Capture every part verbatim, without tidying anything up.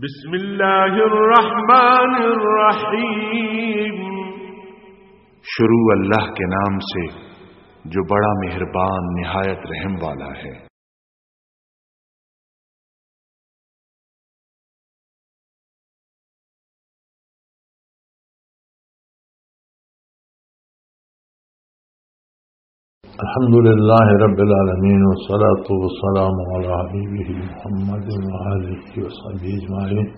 بسم اللہ الرحمن الرحیم۔ شروع اللہ کے نام سے جو بڑا مہربان نہایت رحم والا ہے۔ الحمد لله رب العالمين، والصلاة والسلام على حبيبه محمد وآله وصحبه أجمعين.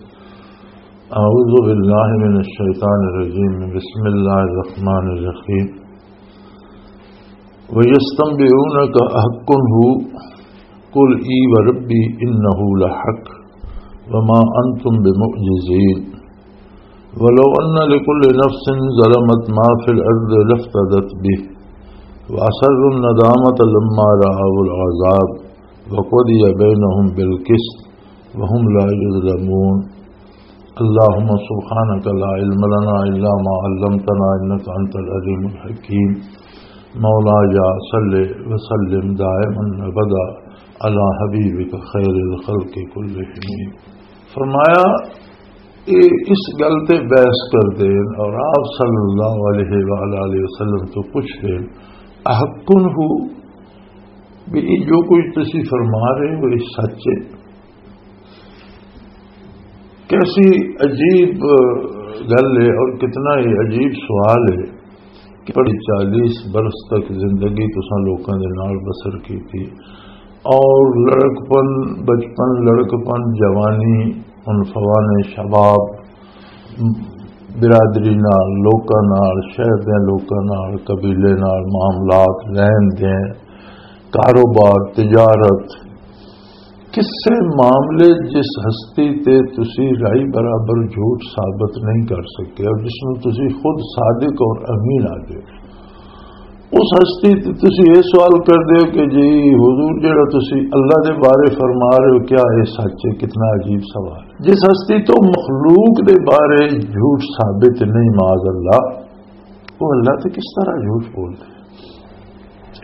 أعوذ بالله من الشيطان الرجيم. بسم الله الرحمن الرحيم. ويستنبئونك أحق هو، قل إي وربي إنه لحق وما أنتم بمعجزين. ولو أن لكل نفس ظلمت ما في الأرض لافتدت به وأسروا الندامة لما رأوا العذاب وقضي بينهم بالقسط وهم لا يظلمون. اللهم سبحانك لا علم لنا إلا ما علمتنا إنك أنت العليم الحكيم. مولاي صل وسلم دائما أبدا على حبيبك خير الخلق كلهم. فرمایا، یہ اس گل تے بحث کر دین اور آپ صلی اللہ علیہ وآلہ وسلم تو پوچھ دین، احقن ہو، بھی یہ جو کچھ تسی فرما رہے ہو، یہ سچ ہے؟ کیسی عجیب گل ہے اور کتنا ہی عجیب سوال ہے کہ پڑھی چالیس برس تک زندگی تساں لوکاں دے نال بسر کیتی، اور لڑکپن، بچپن، لڑکپن، جوانی، عنفوان شباب، برادری نال، لوکاں نال، شہر دے لوکاں نال، قبیلے نال معاملات، لین دین، کاروبار، تجارت، کسے معاملے جس ہستی تے تسی رائی برابر جھوٹ ثابت نہیں کر سکے اور جس نوں تسی خود صادق اور امین آدھے ہو، اس ہستی تے تسی یہ سوال کر دے ہو کہ جی حضور، جڑا تسی اللہ دے بارے فرما رہے ہو، کیا یہ سچ ہے؟ کتنا عجیب سوال۔ جس ہستی تو مخلوق دے بارے جھوٹ ثابت نہیں، معاذ اللہ، وہ اللہ تے کس طرح جھوٹ بول دے؟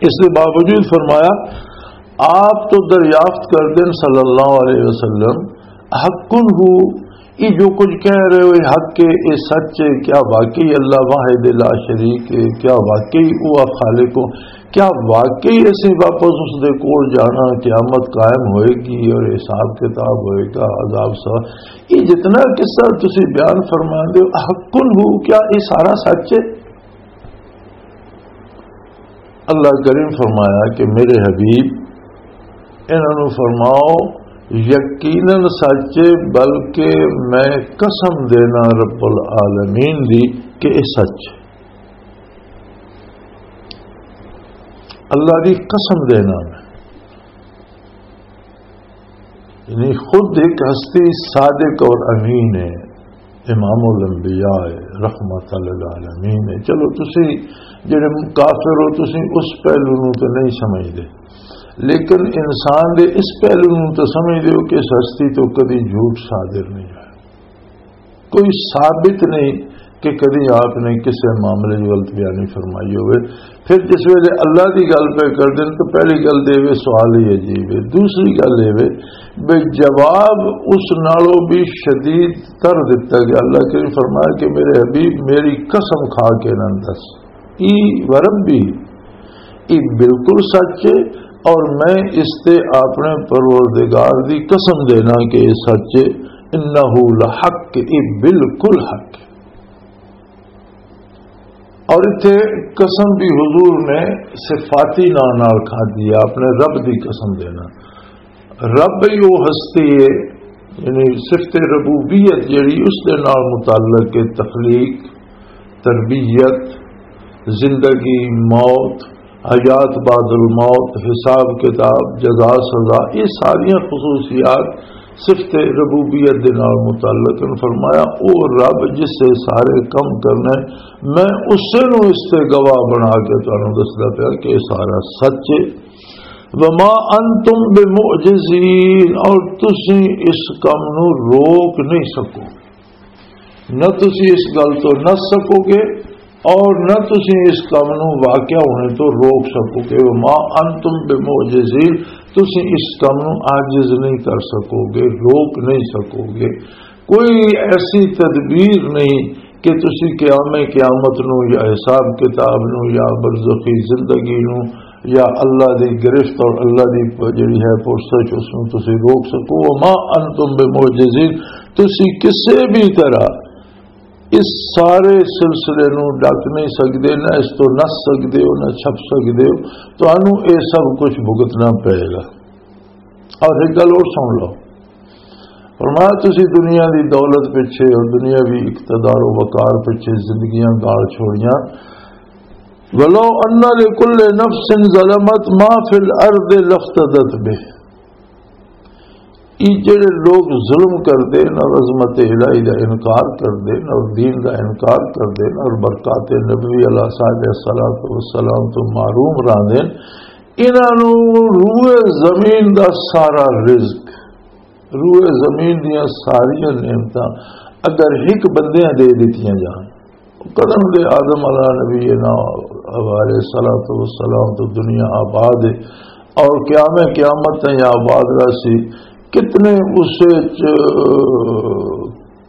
اس کے باوجود فرمایا، آپ تو دریافت کر دیں صلی اللہ علیہ وسلم، حق ہو، یہ جو کچھ کہہ رہے ہو، یہ حق ہے، یہ سچ ہے؟ کیا واقعی اللہ واحد لا شریک ہے؟ کیا واقعی وہ خالق ہو؟ کیا واقعی اسی واپس اس دے کول جانا، قیامت قائم ہوئے گی اور حساب کتاب ہوئے گا، عذاب سا، یہ جتنا قصہ تسی بیان فرما دے ہو، حق ہو، کیا یہ سارا سچ ہے؟ اللہ کریم فرمایا کہ میرے حبیب، انہاں نوں فرماؤ، یقیناً سچ ہے، بلکہ میں قسم دینا رب العالمین دی کہ یہ سچ ہے۔ اللہ دی قسم دینا میں، یعنی خود ایک ہستی صادق اور امین ہے، امام الانبیاء ہے، رحمت للعالمین ہے۔ چلو، تسی جڑے کافر ہو، تسی اس پہلو نوں تو نہیں سمجھدے، لیکن انسان دے اس پہلو نوں تو سمجھدے ہو کہ اس ہستی تو کدی جھوٹ صادر نہیں ہویا۔ کوئی ثابت نہیں کہ کدی آپ نے کسے معاملے دی غلط بیانی فرمائی ہوئے۔ پھر جس ویلے اللہ دی گل پہ کر دین تو پہلی گل دے وے سوال ہی عجیب ہے۔ دوسری گل اے وے بے جواب اس نالوں بھی شدید تر دتا گیا۔ اللہ کریم فرمایا کہ میرے حبیب، میری قسم کھا کے نہ دس، ای وربی، یہ بالکل سچ ہے، اور میں اس تے اپنے پروردگار دی قسم دینا کہ یہ سچ ہے، انہ لحق، یہ بالکل حق ہے۔ اور اتھے قسم بھی حضور نے صفاتی نام نال کھا دی، آپ نے رب دی قسم دینا۔ رب ہی وہ ہستی ہے، یعنی صفت ربوبیت جڑی اس دے نال متعلق ہے، تخلیق، تربیت، زندگی، موت، حیات بعد الموت، حساب کتاب، جزا سزا، یہ ساریاں خصوصیات صفت ربوبیت دے نال متعلق ہیں۔ فرمایا، او رب جس سے سارے کم کرنے، میں اسے نو اس سے گواہ بنا کے تانوں دسدا پیا کہ یہ سارا سچ ہے۔ وما انتم بمعجزین، اور تسی اس کم نو روک نہیں سکو، نہ تسی اس گل تو نس سکو گے اور نہ تسی اس کم نو واقع ہونے تو روک سکو گے۔ وما انتم بمعجزین، تسی اس کم نو عاجز نہیں کر سکو گے، روک نہیں سکو گے۔ کوئی ایسی تدبیر نہیں کہ تسی قیام قیامت نو یا حساب کتاب نو یا برزخی زندگی نو یا اللہ دی گرفت اور اللہ دی جڑی ہے پرسش، اس نو تسی روک سکو۔ وما انتم بمعجزین، تسی کسے بھی طرح اس سارے سلسلے نو ڈک نہیں سکدے، نہ اس تو نس سکدے ہو، نہ چھپ سکدے ہو۔ تانوں اے سب کچھ بھگتنا پئے گا۔ اور ایک گل اور سن لو، فرمایا، تسی دنیا دی دولت پیچھے اور دنیاوی اقتدار و وقار پیچھے زندگیاں گال چھوڑیاں۔ ولو ان لکل نفس ظلمت ما فی الارض لافتدت به۔ یہ جڑے لوگ ظلم کردے نہ، عظمت الہی دا انکار کردے نہ، اور دین دا انکار کردے نہ، اور برکات نبوی علیہ صاحب الصلوۃ والسلام تو محروم راندے، انہاں نوں روئے زمین دا سارا رزق، روئے زمین دیاں ساریاں نعمتاں اگر ہک بندیاں دے دتیاں جان، قدم دے آدم علیہ نبی نا علیہ الصلوۃ والسلام تو دنیا آباد ہے، اور قیام قیامت تائیں آباد رہسی۔ کتنے اس وچ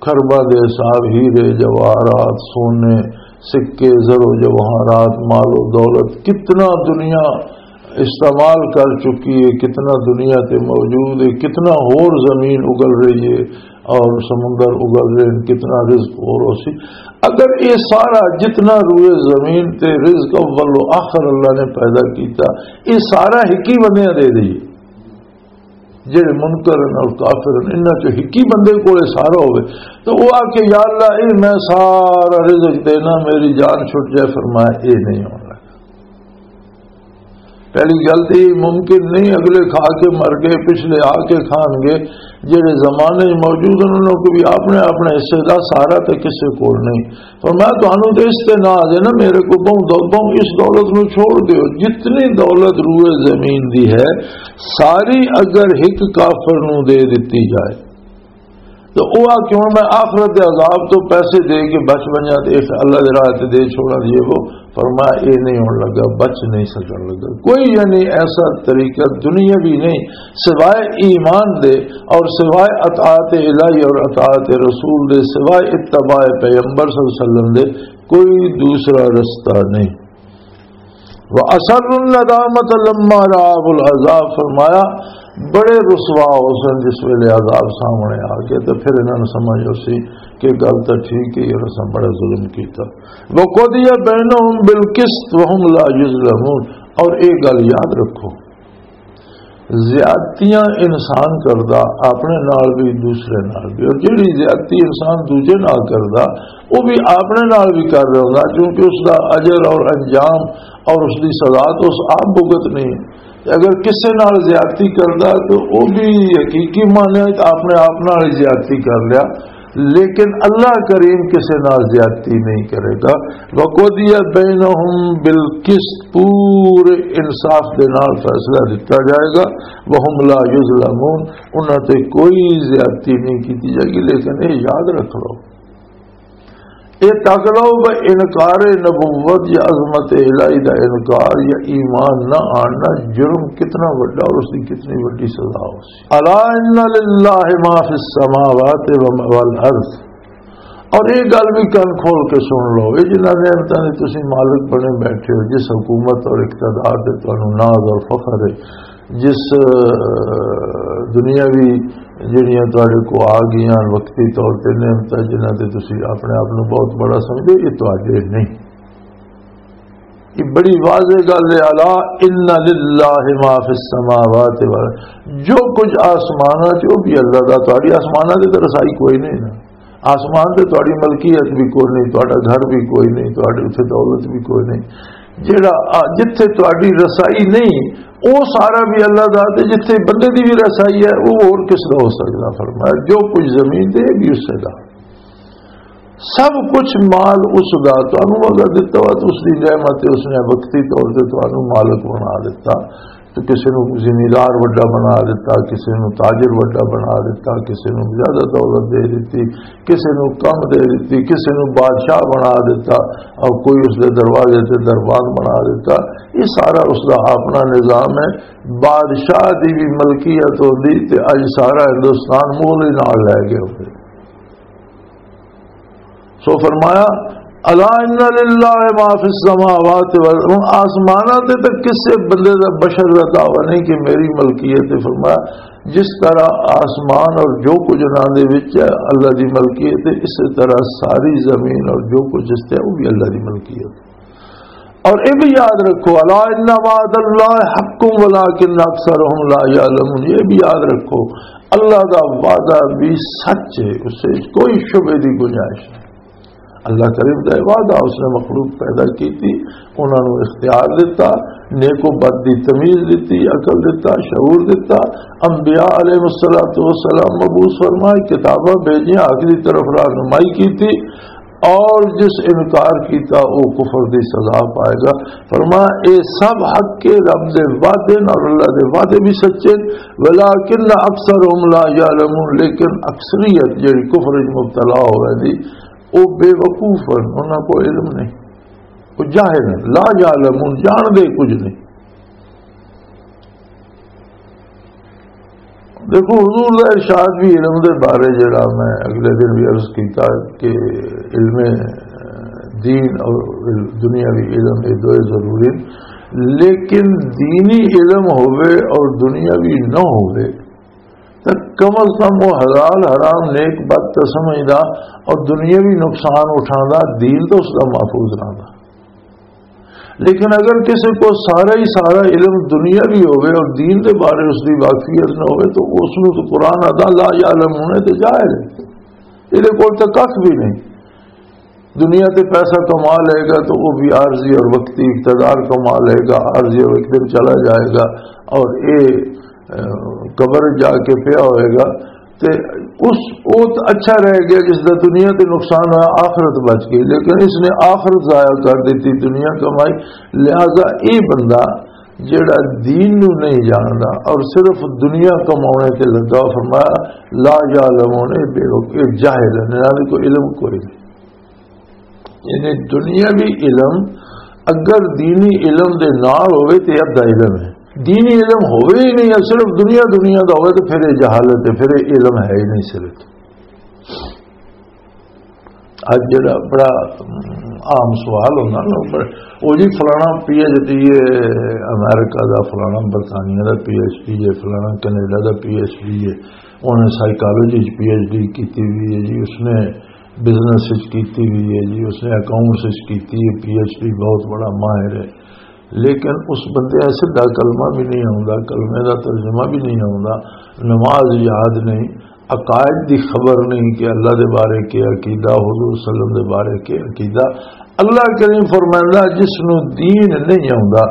خرباں دے حساب، ہیرے، جواہرات، سونے، سکے، زر و جواہرات، مال و دولت، کتنا دنیا استعمال کر چکی ہے، کتنا دنیا تے موجود ہے، کتنا ہور زمین اگل رہی ہے اور سمندر اگل رہے ہیں، کتنا رزق ہور ہو سی۔ اگر یہ سارا جتنا روئے زمین تے رزق اول و آخر اللہ نے پیدا کیتا، یہ سارا ہکی بندیاں دے دئیے، جڑے منکر ہیں اور کافر ہیں، انہاں چوں ہکی بندے کولے سارا ہوئے، تو وہ آ کے، "یا اللہ، اے میں سارا رزق دینا، میری جان چھٹ جائے۔" فرمایا، "اے نہیں ہونا۔" پہلی گل تے یہ ممکن نہیں، اگلے کھا کے مر گئے، پچھلے آ کے کھان گے۔ جڑے زمانے موجود ہیں، انہوں کو بھی اپنے اپنے حصے دا سارا تے کسے کول نہیں۔ فرمایا، "تانوں تے اس تے ناز ہے نا، میرے کو بہوں دو-، بہوں اس دولت نو چھوڑ دیو۔" جتنی دولت روئے زمین دی ہے، ساری اگر ہک کافر نو دے دتی جائے، تو او آ کہ ہن میں آخرت دے عذاب تو پیسے دے کے بچ ونجاں تے اس اللہ دے راہ تے دے چھوڑاں، یہ وہ۔ فرمایا، اے نہیں ہون لگا، بچ نہیں سکن لگا۔ کوئی یعنی ایسا طریقہ دنیاوی نہیں سوائے ایمان دے اور سوائے اطاعت الہی اور اطاعت رسول دے، سوائے اتباع پیغمبر صلی اللہ علیہ وسلم دے کوئی دوسرا رستہ نہیں۔ وَأَسَرُّوا النَّدَامَةَ لَمَّا رَأَوُا الْعَذَابَ، فرمایا، بڑے رسوا ہو سن جس ویلے عذاب سامنے آ گیا، تو پھر انہاں نے سمجھ ہو سی کہ گل تو ٹھیک ہے، یہ اساں بڑا ظلم کیتا۔ وَقُضِيَ بَيْنَهُم بِالْقِسْطِ وَهُمْ لَا يُظْلَمُونَ، اور ایک گل یاد رکھو، زیادتیاں انسان کردا اپنے نال بھی، دوسرے نال بھی، اور جڑی زیادتی انسان دوجے نال کردا، وہ بھی اپنے نال بھی کر رہا ہوندا، کیونکہ اس دا اجر اور انجام اور اس دی سزا تو اس آپ بھگت نہیں۔ اگر کسے نال زیادتی کردا تو وہ بھی حقیقی معنی وچ اپنے آپ نال ہی زیادتی کر لیا، لیکن اللہ کریم کسے نال زیادتی نہیں کرے گا۔ وَقُضِيَ بَيْنَهُمْ بِالْقِسْطِ، پورے انصاف دے نال فیصلہ دتا جائے گا۔ وَهُمْ لَا يُظْلَمُونَ، انہاں تے کوئی زیادتی نہیں کیتی جائے گی۔ لیکن یہ یاد رکھ لو، یہ تک لو کہ انکار نبوت یا عظمت الہی دا انکار یا ایمان نہ آنا جرم کتنا وڈا اور اس دی کتنی وڈی سزا ہو سی۔ الا ان للہ ما فی السماوات و ما والارض۔ اور یہ گل بھی کن کھول کے سن لو، یہ جنہاں نعمتاں دے تسی مالک بنے بیٹھے ہو، جس حکومت اور اقتدار دے تانوں ناز اور فخر ہے، جس، اہ، دنیاوی جڑیاں تہاڈے کو آ گئیاں وقتی طور تے نعمتاں، جنہاں تے تسی اپنے آپ نوں بہت بڑا سمجھو، یہ تہاڈے نہیں۔ یہ بڑی واضح گل ہے، الا ان للہ ما فی السماوات و، جو کچھ آسماناں چ، وہ بھی اللہ دا، تہاڈی آسماناں تے تے رسائی کوئی نہیں نا۔ آسمان تے تہاڈی ملکیت بھی کوئی نہیں، تہاڈا گھر بھی کوئی نہیں، تہاڈی اتھے دولت بھی کوئی نہیں۔ جیڑا آ، جتھے تہاڈی رسائی نہیں، وہ سارا بھی اللہ دا، تے جتھے بندے دی بھی رسائی ہے، وہ اور کس دا ہو سکدا؟ فرمایا، جو کچھ زمین تے، یہ بھی اسے دا۔ سب کچھ مال اس دا، تانوں اگر دتا ہوا تو اس دی نعمت ہے، اس نے وقتی طور تے تانوں مالک بنا دتا۔ تو کسی نوں زمیندار وڈا بنا دتا، کسی نوں تاجر وڈا بنا دتا، کسی نوں زیادہ دولت دے دتی، کسی نوں کم دے دتی، کسی نوں بادشاہ بنا دتا، اور کوئی اس دے دروازے تے دربان بنا دتا۔ یہ سارا اس دا اپنا نظام ہے۔ بادشاہ دی بھی ملکیت ہوندی تے اج سارا ہندوستان مغل ہی نال لے گئے ہوندے۔ تو فرمایا، الا ان للہ ما فی السماوات والارض، آسماناں تے تک کسے بندے دا، بشر دا دعویٰ نہیں کہ میری ملکیت ہے۔ فرمایا، جس طرح آسمان اور جو کچھ انہاں دے وچ ہے اللہ دی ملکیت ہے، اسی طرح ساری زمین اور جو کچھ اس تے ہے وہ بھی اللہ دی ملکیت ہے۔ اور یہ بھی یاد رکھو، الا ان وعد اللہ حق ولکن اکثرهم لا یعلمون، یہ بھی یاد رکھو، اللہ دا وعدہ بھی سچ ہے، اس سے کوئی شبے دی گنجائش نہیں۔ اللہ کریم دا وعدہ، اس نے مخلوق پیدا کی تھی، انہاں نوں اختیار دتا، نیک و بد دی تمیز دتی، عقل دتا، شعور دتا۔ انبیاء علیہ الصلوۃ والسلام مبعوث فرمائے، کتاباں بھیجیاں، حق دی طرف رہنمائی کی تھی، اور جس انکار کیتا وہ کفر دی سزا پائے گا۔ فرمایا، اے سب حق کے، رب دے وعدے نال، اللہ دے وعدے بھی سچے، ولکن اکثرهم لا یعلمون، لیکن اکثریت جڑی کفر وچ مبتلا ہوئے دی، وہ بے وقوف ہیں، انہاں کو علم نہیں، وہ جاہل ہیں، لا یعلمون، جان دے کچھ نہیں۔ دیکھو، حضور دا ارشاد بھی علم دے بارے، جڑا میں اگلے دن بھی عرض کیتا کہ علم دین اور علم، دنیاوی علم، یہ دوئے ضروری ہیں۔ لیکن دینی علم ہوئے اور دنیاوی نہ ہوئے، تو کم از کم وہ حلال حرام، نیک بد تو سمجھدا اور دنیاوی نقصان اٹھاندا، دین تو اس دا محفوظ رہندا۔ لیکن اگر کسی کو سارا ہی سارا علم دنیاوی ہوئے اور دین دے بارے اس دی واقفیت نہ ہوئے، تو اس نوں تو قرآن آدا لا یعلمون تے جاہل ہے، یہ کول تو کھ بھی نہیں۔ دنیا تے پیسہ کما لے گا تو وہ بھی عارضی اور وقتی، اقتدار کما لے گا عارضی اور ایک دن چلا جائے گا، اور یہ، اہ، قبر جا کے پیا ہوئے گا۔ تے اس، وہ تو اچھا رہ گیا جس دا دنیا تے نقصان ہوا، آخرت بچ گئی، لیکن اس نے آخرت ضائع کر دیتی، دنیا کمائی۔ لہذا یہ بندہ جڑا دین نو نہیں جاندا اور صرف دنیا کمانے تے لگا، فرمایا، لا یعلمون، اے بے وقوف، اے جاہل ہیں، انہاں دے کوئی علم کوئی نہیں۔ یعنی دنیاوی علم اگر دینی علم دے نال ہوئے تے ادھا علم ہے، دینی علم ہوئے ہی نہیں، صرف دنیا، دنیا دا ہوئے تے پھر یہ جہالت ہے، پھر یہ علم ہے ہی نہیں۔ صرف اج جڑا بڑا عام سوال ہوندا نا، بڑا، او جی فلانا پی ایچ ڈی ہے امریکہ دا، فلانا برطانیہ دا پی ایچ ڈی ہے، فلانا کینیڈا دا پی ایچ ڈی ہے، انہوں نے سائیکالوجی چ پی ایچ ڈی کیتی ہوئی ہے جی، اس نے بزنس وچ کیتی ہوئی ہے جی، اس نے اکاؤنٹس وچ کیتی ہے، پی ایچ ڈی، بہت بڑا ماہر ہے۔ لیکن اس بندے نا سیدھا کلمہ بھی نہیں آوندا، کلمے دا ترجمہ بھی نہیں آوندا، نماز یاد نہیں، عقائد دی خبر نہیں کہ اللہ دے بارے کے عقیدہ، حضور صلی اللہ علیہ وسلم دے بارے کے عقیدہ۔ اللہ کریم فرمائندا، جس نو دین نہیں آوندا،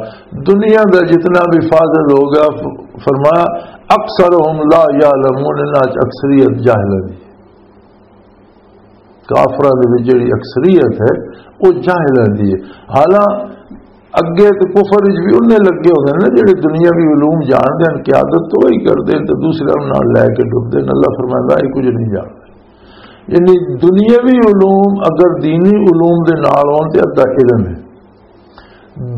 دنیا دا جتنا بھی فاضل ہو گیا، فرمایا، اکثرهم لا یعلمون، انہاں چ اکثریت جاہلاں دی۔ کافراں دے وچ جڑی اکثریت ہے، وہ جاہلاں دی ہے۔ حالاں اگے تے کفر وچ بھی انہیں لگے ہوندے نے جڑے دنیاوی علوم جاندے ہیں، قیادت تو وہی کردے ہیں تے دوسرے نال لے کے ڈبدے ہیں۔ اللہ فرمائندا، یہ کچھ نہیں جاندا۔ یعنی دنیاوی علوم اگر دینی علوم دے نال ہون تے ادھا علم ہے۔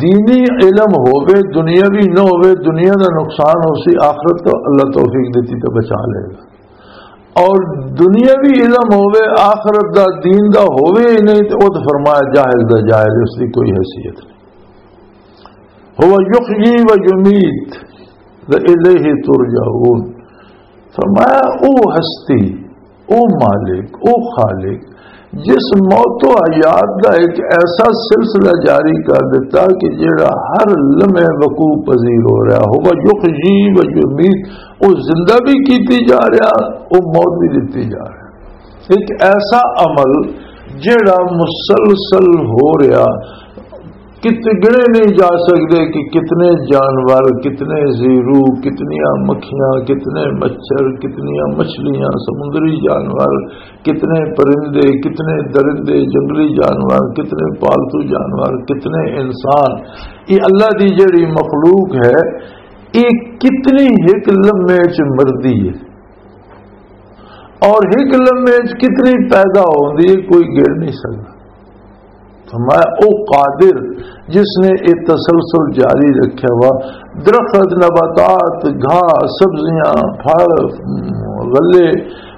دینی علم ہووے، دنیاوی نہ ہووے، دنیا دا نقصان ہو سی، آخرت تو اللہ توفیق دیتی تو بچا لے گا۔ اور دنیاوی علم ہووے، آخرت دا، دین دا ہووے ہی نہیں، تو وہ تو فرمایا جاہل دا جاہل، اس دی کوئی حیثیت نہیں۔ هو یحیی و یمیت و الیہ ترجعون۔ فرمایا، او ہستی، او مالک، او خالق، جس موت و حیات دا ایک ایسا سلسلہ جاری کر دیتا کہ جڑا ہر لمحے وقوع پذیر ہو رہا، هو یحیی و یمیت، او زندہ بھی کیتی جا رہا، او موت بھی دتی جا رہا۔ ایک ایسا عمل جڑا مسلسل ہو رہا، کتنے گنے نہیں جا سکتے کہ کتنے جانور، کتنے زیرو، کتنیاں مکھیاں، کتنے مچھر، کتنیاں مچھلیاں، سمندری جانور، کتنے پرندے، کتنے درندے، جنگلی جانور، کتنے پالتو جانور، کتنے انسان، یہ اللہ دی جڑی مخلوق ہے، یہ کتنی ایک لمحے چ مردی ہے اور ایک لمحے چ کتنی پیدا ہوندی ہے، کوئی گن نہیں سکتا۔ فرمایا، او قادر جس نے یہ تسلسل جاری رکھا ہوا، درخت، نباتات، گھاہ، سبزیاں، پھل، غلے،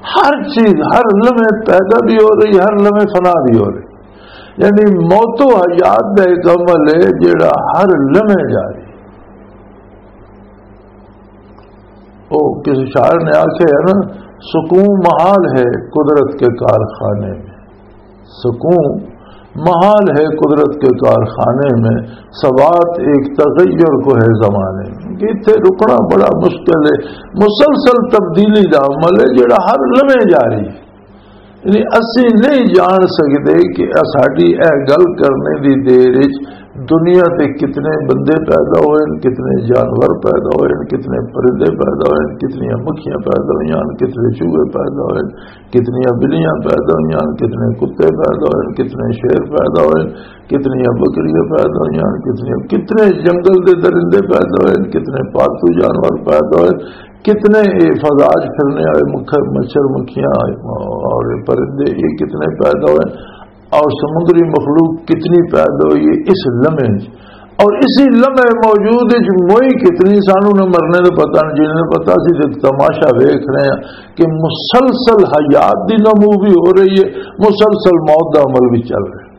ہر چیز ہر لمحے پیدا بھی ہو رہی، ہر لمحے فنا بھی ہو رہی۔ یعنی موت و حیات دا ایک عمل ہے جڑا ہر لمحے جاری۔ او کسی شاعر نے آخیا ہے نا، سکون محال ہے قدرت کے کارخانے میں۔ سکون محال ہے قدرت کے کارخانے میں، ثبات ایک تغیر کو ہے زمانے میں۔ کہ اتھے رکنا بڑا مشکل ہے، مسلسل تبدیلی دا عمل ہے جڑا ہر لمحے جاری ہے۔ یعنی اسی نہیں جان سکتے کہ ساڈی اے گل کرنے دی دیر وچ دنیا تے کتنے بندے پیدا ہوئے ہن، کتنے جانور پیدا ہوئے ہن، کتنے پرندے پیدا ہوئے ہن، کتنیاں مکھیاں پیدا ہوئیاں ہن، کتنے چوہے پیدا ہوئے ہن، کتنیاں بلیاں پیدا ہوئیاں ہن، کتنے کتے پیدا ہوئے ہن، کتنے شیر پیدا ہوئے ہن، کتنیاں بکریاں پیدا ہوئیاں ہن، کتنے کتنے جنگل دے درندے پیدا ہوئے ہن، کتنے پالتو جانور پیدا ہوئے ہن، کتنے اے فضا چ پھرنے والے مکھ-، مچھر مکھیاں اور پرندے، یہ کتنے پیدا ہوئے ہن، اور سمندری مخلوق کتنی پیدا ہوئی ہے اس لمحے وچ۔ اور اسی لمحے موجود وچ موئی کتنی، سانو نہ مرنے دا پتہ نہ جینے دا پتہ، اسی تے تماشا ویکھ رہے ہیں کہ مسلسل حیات دی نمو بھی ہو رہی ہے، مسلسل موت دا عمل بھی چل رہا ہے۔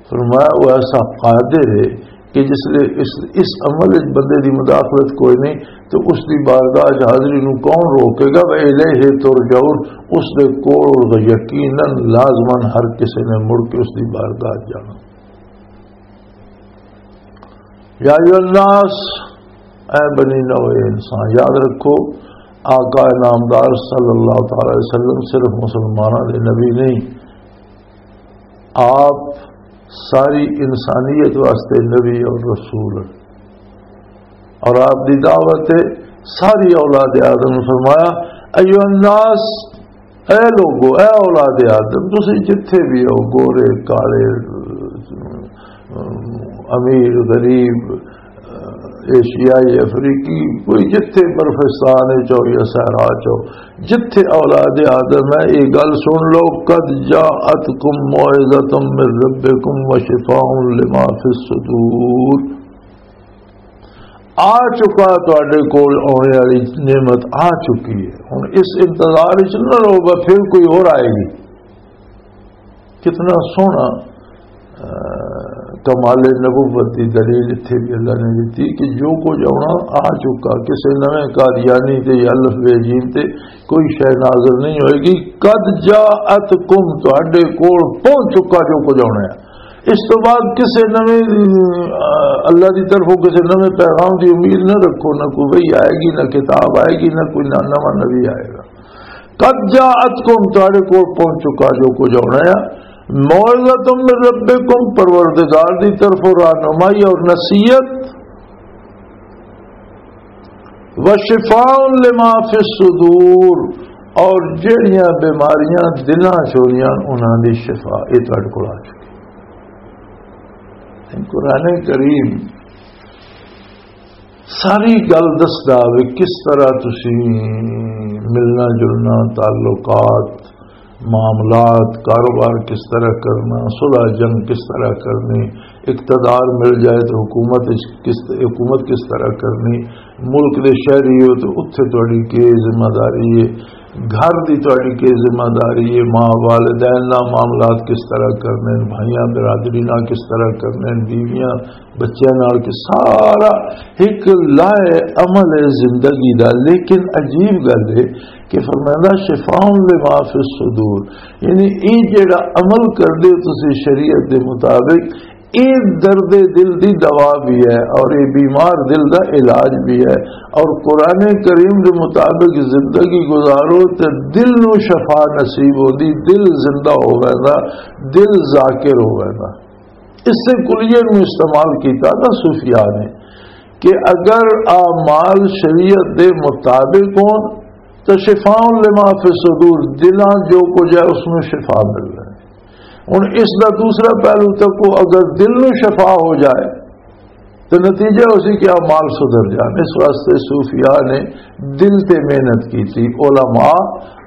فرمایا، وہ ایسا قادر ہے کہ جس لے اس، اس عمل وچ بندے دی مداخلت کوئی نہیں، تو اس دی بارگاہ وچ حاضری نو کون روکے گا؟ وَإِلَيْهِ تُرْجَعُونَ، اس دے کول یقیناً لازماً ہر کسی نے مڑ کے اس دی بارگاہ وچ جانا۔ یا ایھا الناس، اے بنی نوع انسان، یاد رکھو، آقا نامدار صلی اللہ تعالی علیہ وسلم صرف مسلمانوں دے نبی نہیں، آپ ساری انسانیت واسطے نبی اور رسول ہیں۔ اور آپ دی دعوت ہے ساری اولاد آدم۔ فرمایا، ایھا الناس، اے لوگو، اے اولاد آدم، تسی جتھے بھی ہو، گورے، کالے، امیر، غریب، ایشیائی، افریقی، کوئی جتھے برفستان وچ ہو یا صحرا چ ہو، جتھے اولاد آدم ہے، یہ گل سن لو، قد جاءتکم موعظۃ من ربکم وشفاء لما فی الصدور۔ آ چکا، تواڈے کول آنے والی نعمت آ چکی ہے۔ ہن اس انتظار وچ نہ رہو، بس پھر کوئی اور آئے گی۔ کتنا سوہنا، آ، کمال نبوت دی دلیل اتھے بھی اللہ نے دتی کہ جو کچھ آنا آ چکا، کسے نویں قادیانی تے یا الف بے جیم تے کوئی شے نازل نہیں ہوئے گی۔ قد جاءتکم، تواڈے کول پہنچ چکا جو کچھ آنا ہے۔ اس تو بعد کسے نویں، آ، اللہ دی طرفوں کسے نویں پیغام دی امید نہ رکھو، نہ کوئی وحی آئے گی، نہ کتاب آئے گی، نہ کوئی نہ-، نواں نبی آئے گا۔ قد جاءتکم، تہاڈے کول پہنچ چکا جو کچھ آنا ہے۔ موعظۃ من ربکم، پروردگار دی طرفوں رہنمائی اور نصیحت۔ وشفاء لما فی الصدور، اور جڑیاں بیماریاں دلاں چ ہویاں، انہاں دی شفا، یہ تہاڈے کول آ چکی۔ قرآن کریم ساری گل دسدا وے، کس طرح تسی ملنا جلنا، تعلقات، معاملات، کاروبار کس طرح کرنا، صلح جنگ کس طرح کرنی، اقتدار مل جائے تو حکومت اچ کس، حکومت کس طرح کرنی، ملک دے شہری ہو تو اتھے تہاڈی کی ذمہ داری ہے، گھر دی تہاڈی کی ذمہ داری ہے، ماں والدین نال معاملات کس طرح کرنے، بھائیاں برادری نال کس طرح کرنے، بیویاں بچیاں نال، کہ سارا ایک لائے عمل ہے زندگی دا۔ لیکن عجیب گل ہے کہ فرمائندا، شفاء لما فی الصدور، یعنی یہ جڑا عمل کردے ہو تسی شریعت دے مطابق، یہ درد دل دی دوا بھی ہے اور یہ بیمار دل دا علاج بھی ہے۔ اور قرآن کریم دے مطابق زندگی گزارو تے دل نو شفا نصیب ہوندی، دل زندہ ہو ویندا، دل ذاکر ہو ویندا۔ اس سے کلیے نو استعمال کیتا نا صوفیاء نے کہ اگر اعمال شریعت دے مطابق ہون تو شفاء لما فی الصدور، دلاں جو کچھ ہے اس میں شفا مل رہی ہے۔ ہن اس دا دوسرا پہلو تکو، اگر دل نو شفا ہو جائے تو نتیجہ اسی کہ اعمال سدھر جان۔ اس واسطے صوفیاء نے دل تے محنت کی تھی۔ علماء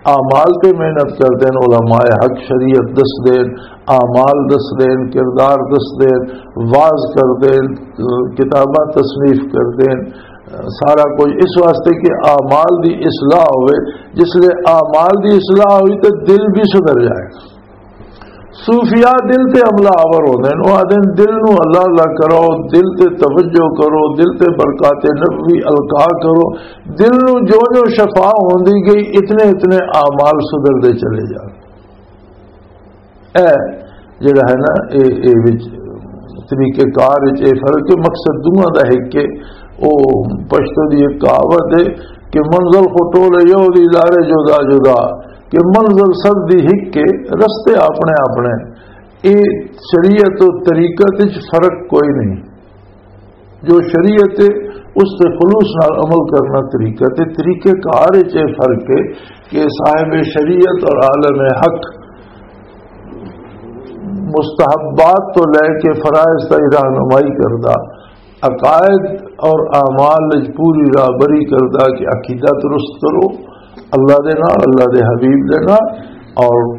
اعمال تے محنت کردے ہیں، علماء حق شریعت دس دے ہیں، اعمال دس دے ہیں، کردار دس دے ہیں، واز کردے ہیں، کتاباں تصنیف کردے ہیں، سارا کچھ اس واسطے کہ اعمال دی اصلاح ہوئے۔ جس لے اعمال دی اصلاح ہوئی تو دل بھی سدھر جائے۔ صوفیاء دل تے حملہ آور ہوندے نے، وہ آدھے نے، "دل نو اللہ اللہ کرو، دل تے توجہ کرو، دل تے برکات نبوی القا کرو۔" دل نو جو جو شفا ہوندی گئی، اتنے اتنے اعمال سدھردے چلے جان۔ اے جڑا ہے نا، اے، اے وچ طریقہ کار وچ اے فرق ہے۔ مقصد دوواں دا ایک کہ او پشتو دی ایک کہاوت ہے کہ "منزل خو ٹولے یو دی لارے جدا جدا"، کہ منزل سب دی ایک کے، رستے اپنے اپنے۔ اے شریعت و طریقت وچ فرق کوئی نہیں۔ جو شریعت ہے، اس تے خلوص نال عمل کرنا طریقہ تے طریقہ کار وچ اے فرق ہے کہ صاحب شریعت اور عالم حق مستحبات تو لے کے فرائض تائیں رہنمائی کردا، عقائد اور اعمال وچ پوری راہبری کردا کہ عقیدہ درست کرو اللہ دے نال، اللہ دے حبیب دے نال اور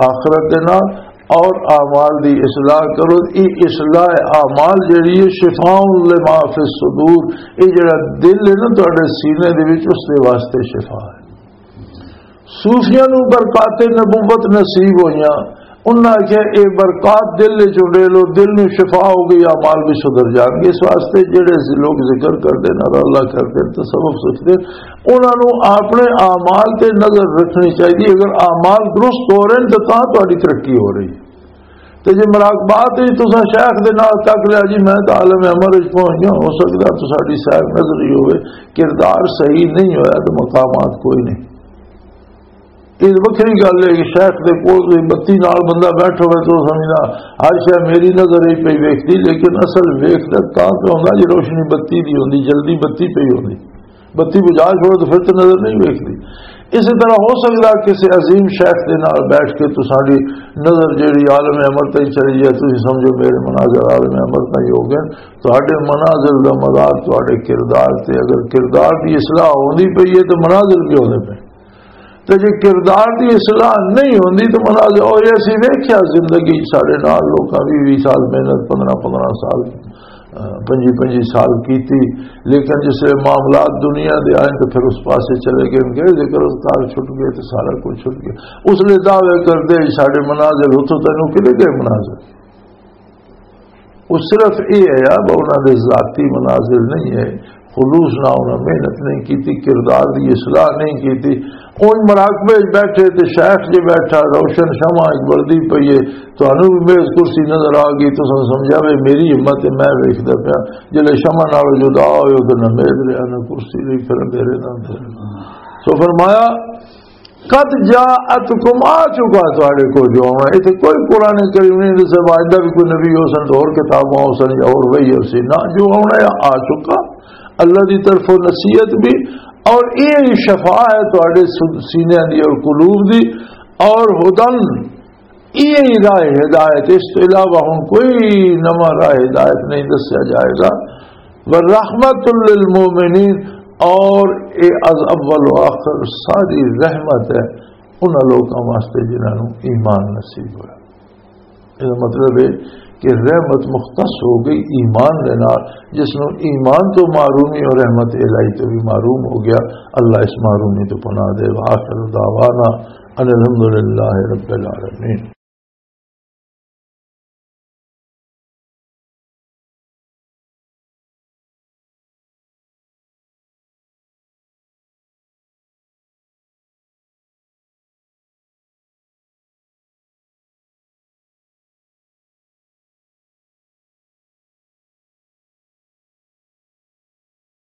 آخرت دے نال، اور اعمال دی اصلاح کرو۔ یہ اصلاح اعمال جڑی ہے، شفاء لما فی الصدور، یہ جڑا دل ہے نا تہاڈے سینے دے وچ، اس دے واسطے شفا ہے۔ صوفیاں نوں برکات نبوت نصیب ہوئیاں، انہاں آکھیا، "اے برکات دل وچ اڈیلو، دل نوں شفا ہو گئی، اعمال بھی سدھر جان گے۔" اس واسطے جڑے لوگ ذکر کردے نے، اللہ کردے نے، تصوف سکھدے، انہاں نوں اپنے اعمال تے نظر رکھنی چاہیے۔ اگر اعمال درست ہو رہے ہیں تو تاں تہاڈی ترقی ہو رہی ہے۔ تے جے مراقبات وچ تساں شیخ دے نال تک لیا جی، "میں تاں عالم امر وچ پہنچ گیا"، ہو سکدا تساڈی سیر نظری ہوئے، کردار صحیح نہیں ہویا تے مقامات کوئی نہیں۔ یہ وکری گل ہے کہ شیخ دے کول کوئی بتی نال بندہ بیٹھا ہوئے تو سمجھنا ہر شے میری نظر ہی پئی ویکھدی، لیکن اصل ویکھدا تاں تے ہوندا جے روشنی بتی دی ہوندی، جلدی بتی پئی ہوندی، بتی بجھا چھوڑو تو پھر تے نظر نہیں ویکھدی۔ اسی طرح ہو سکدا کسی عظیم شیخ دے نال بیٹھ کے تساڈی نظر جیڑی عالم امر تے چلی جائے، تسی سمجھو میرے مناظر عالم امر تائیں ہو گئے۔ تہاڈے مناظر دا مدار تہاڈے کردار تے، اگر کردار دی اصلاح ہوندی پئی ہے تو مناظر بھی ہوندے پئے۔ تے جے کردار دی اصلاح نہیں ہوندی تو مناظر، اور یہ اسی ویکھیا زندگی ساڈے نال لوکاں ویہہ ویہہ سال محنت، پندرہ پندرہ سال، پنجی پنجی سال کیتی، لیکن جس ویلے معاملات دنیا دے آئے تو پھر اس پاسے چلے گئے، گئے ذکر اذکار چھٹ گئے تو سارا کچھ چھٹ گیا۔ اس لیے دعوے کردے ساڈے مناظر، اتھوں تینوں کدے گئے مناظر؟ وہ صرف یہ ہے یار، وہ انہاں دے ذاتی مناظر نہیں ہے، خلوص نہ انہاں محنت نہیں کیتی، کردار دی اصلاح نہیں کیتی۔ اون مراقبے وچ بیٹھے تے شیخ جے بیٹھا، روشن شمع اچ بلدی پئی ہے، تانوں بھی میز کرسی نظر آ گئی، تساں سمجھا وے میری ہمت ہے، میں ویکھدا پیا۔ جلے شمع نال جدا ہوئے تے نہ میز رہیا، نہ کرسی رہی، پھر اندھیرے نہ اندھیرے۔ سو فرمایا، "قد جاءتکم"، آ چکا تہاڈے کو جو آنا۔ ایتھے کوئی قرآن کریم نہیں دسیا، آئندہ بھی کوئی نبی ہو سن تو اور کتاباں ہو سن یا اور وحی ہو سی، نہ، جو آنا ہے آ چکا۔ اللہ دی طرفوں نصیحت بھی، اور یہ شفا ہے تہاڈے سینیاں دی اور قلوب دی، اور ہدن، یہ راہ ہدایت، اس تو علاوہ ہن کوئی نواں راہ ہدایت نہیں دسیا جائے گا۔ ورحمت للمؤمنین، اور اے از اول و آخر ساری رحمت ہے انہاں لوکاں واسطے جنہاں نوں ایمان نصیب ہویا۔ یہ مطلب ہے کہ رحمت مختص ہو گئی ایمان دے نال، جس نوں ایمان تو محرومی اور رحمت الہی تو بھی محروم ہو گیا۔ اللہ اس محرومی تو پناہ دے۔ وآخر دعوانا ان الحمدللہ رب العالمین۔